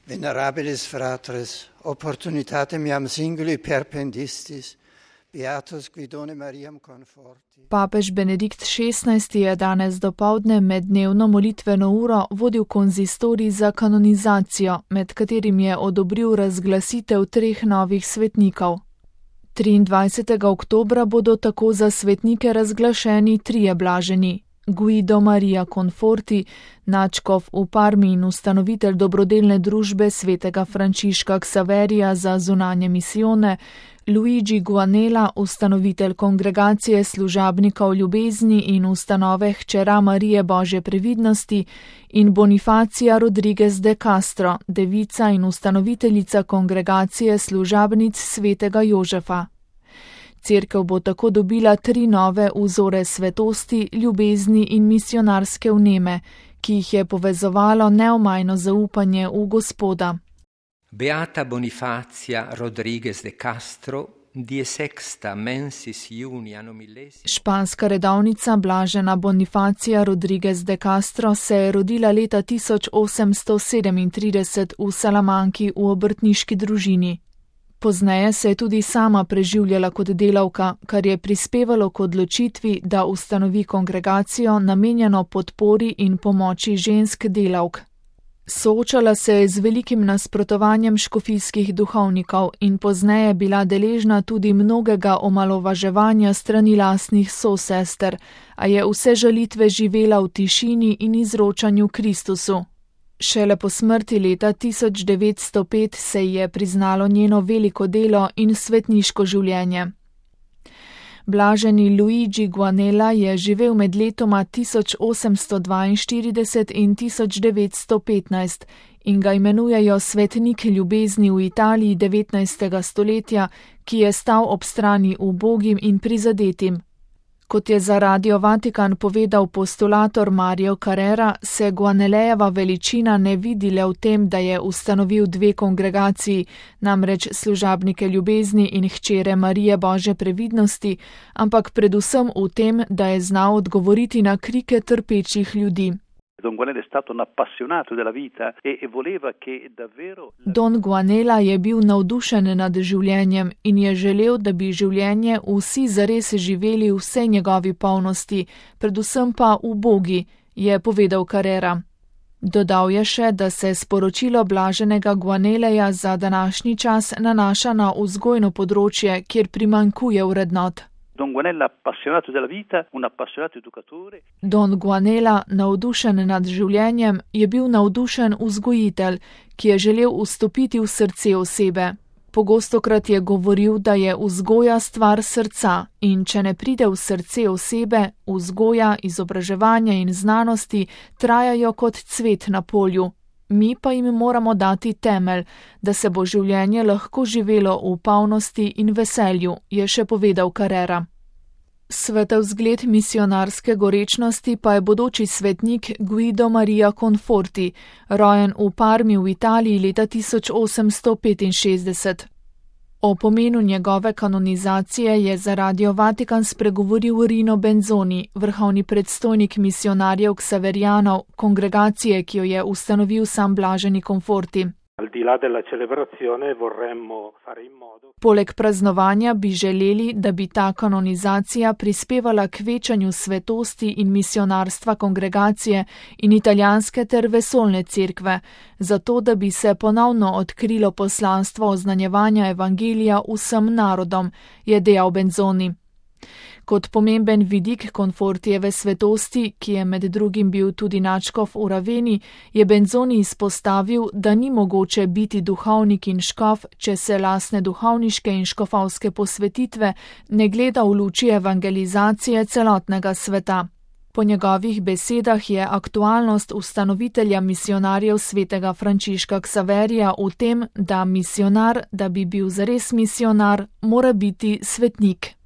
Venerabilis fratres, opportunitatem iam singuli perpendistis, beatus Guidone Mariam conforti. Papež Benedikt XVI je danes dopoldne med dnevno molitveno uro vodil konzistorij za kanonizacijo, med katerim je odobril razglasitev 3 novih svetnikov. 23. oktobra bodo tako za svetnike razglašeni 3 blaženi. Guido Maria Conforti, nadškof v Parmi in ustanovitelj dobrodelne družbe svetega Frančiška Ksaverija za zunanje misijone, Luigi Guanella, ustanovitelj kongregacije služabnikov ljubezni in ustanove Hčera Marije Božje previdnosti, in Bonifacia Rodriguez de Castro, devica in ustanoviteljica kongregacije služabnic svetega Jožefa. Cerkev bo tako dobila 3 nove vzore svetosti, ljubezni in misionarske vneme, ki jih je povezovalo neomajno zaupanje v Gospoda. Beata Bonifacia Rodriguez de Castro, die sexta mensis juni anno millesimo. Španska redovnica blažena Bonifacia Rodriguez de Castro se je rodila leta 1837 v Salamanki v obrtniški družini. Pozneje se je tudi sama preživljala kot delavka, kar je prispevalo k odločitvi, da ustanovi kongregacijo namenjeno podpori in pomoči žensk delavk. Soočala se je z velikim nasprotovanjem škofijskih duhovnikov in pozneje bila deležna tudi mnogega omalovaževanja strani lastnih sosester, a je vse žalitve živela v tišini in izročanju Kristusu. Šele po smrti leta 1905 se ji je priznalo njeno veliko delo in svetniško življenje. Blaženi Luigi Guanella je živel med letoma 1842 in 1915 in ga imenujejo svetnik ljubezni v Italiji 19. stoletja, ki je stal ob strani ubogim in prizadetim. Kot je za Radio Vatikan povedal postulator Mario Carrera, se Guanellejeva veličina ne vidi le v tem, da je ustanovil 2 kongregaciji, namreč služabnike ljubezni in Hčere Marije Božje previdnosti, ampak predvsem v tem, da je znal odgovoriti na krike trpečih ljudi. Don Guanella je bil navdušen nad življenjem in je želel, da bi življenje vsi zares živeli v vsej njegovi polnosti, predvsem pa ubogi, je povedal Carrera. Dodal je še, da se sporočilo blaženega Guanelleja za današnji čas nanaša na vzgojno področje, kjer primanjkuje vrednot. Don Guanella, navdušen nad življenjem, je bil navdušen vzgojitelj, ki je želel vstopiti v srce osebe. Pogostokrat je govoril, da je vzgoja stvar srca in če ne pride v srce osebe, vzgoja, izobraževanje in znanosti trajajo kot cvet na polju. Mi pa jim moramo dati temelj, da se bo življenje lahko živelo v polnosti in veselju, je še povedal Carrera. Svetozgled misionarske gorečnosti pa je bodoči svetnik Guido Maria Conforti, rojen v Parmi v Italiji leta 1865. O pomenu njegove kanonizacije je za Radio Vatikan spregovoril Rino Benzoni, vrhovni predstojnik misionarjev Ksaverijanov, kongregacije, ki jo je ustanovil sam blaženi Conforti. Poleg praznovanja bi želeli, da bi ta kanonizacija prispevala k večanju svetosti in misionarstva kongregacije in italijanske ter vesoljne cerkve, zato da bi se ponovno odkrilo poslanstvo oznanjevanja evangelija vsem narodom, je dejal Benzoni. Kot pomemben vidik Confortijeve svetosti, ki je med drugim bil tudi nadškof v Raveni, je Benzoni izpostavil, da ni mogoče biti duhovnik in škof, če se lastne duhovniške in škofovske posvetitve ne gleda v luči evangelizacije celotnega sveta. Po njegovih besedah je aktualnost ustanovitelja misionarjev svetega Frančiška Ksaverija v tem, da misionar, da bi bil zares misionar, mora biti svetnik.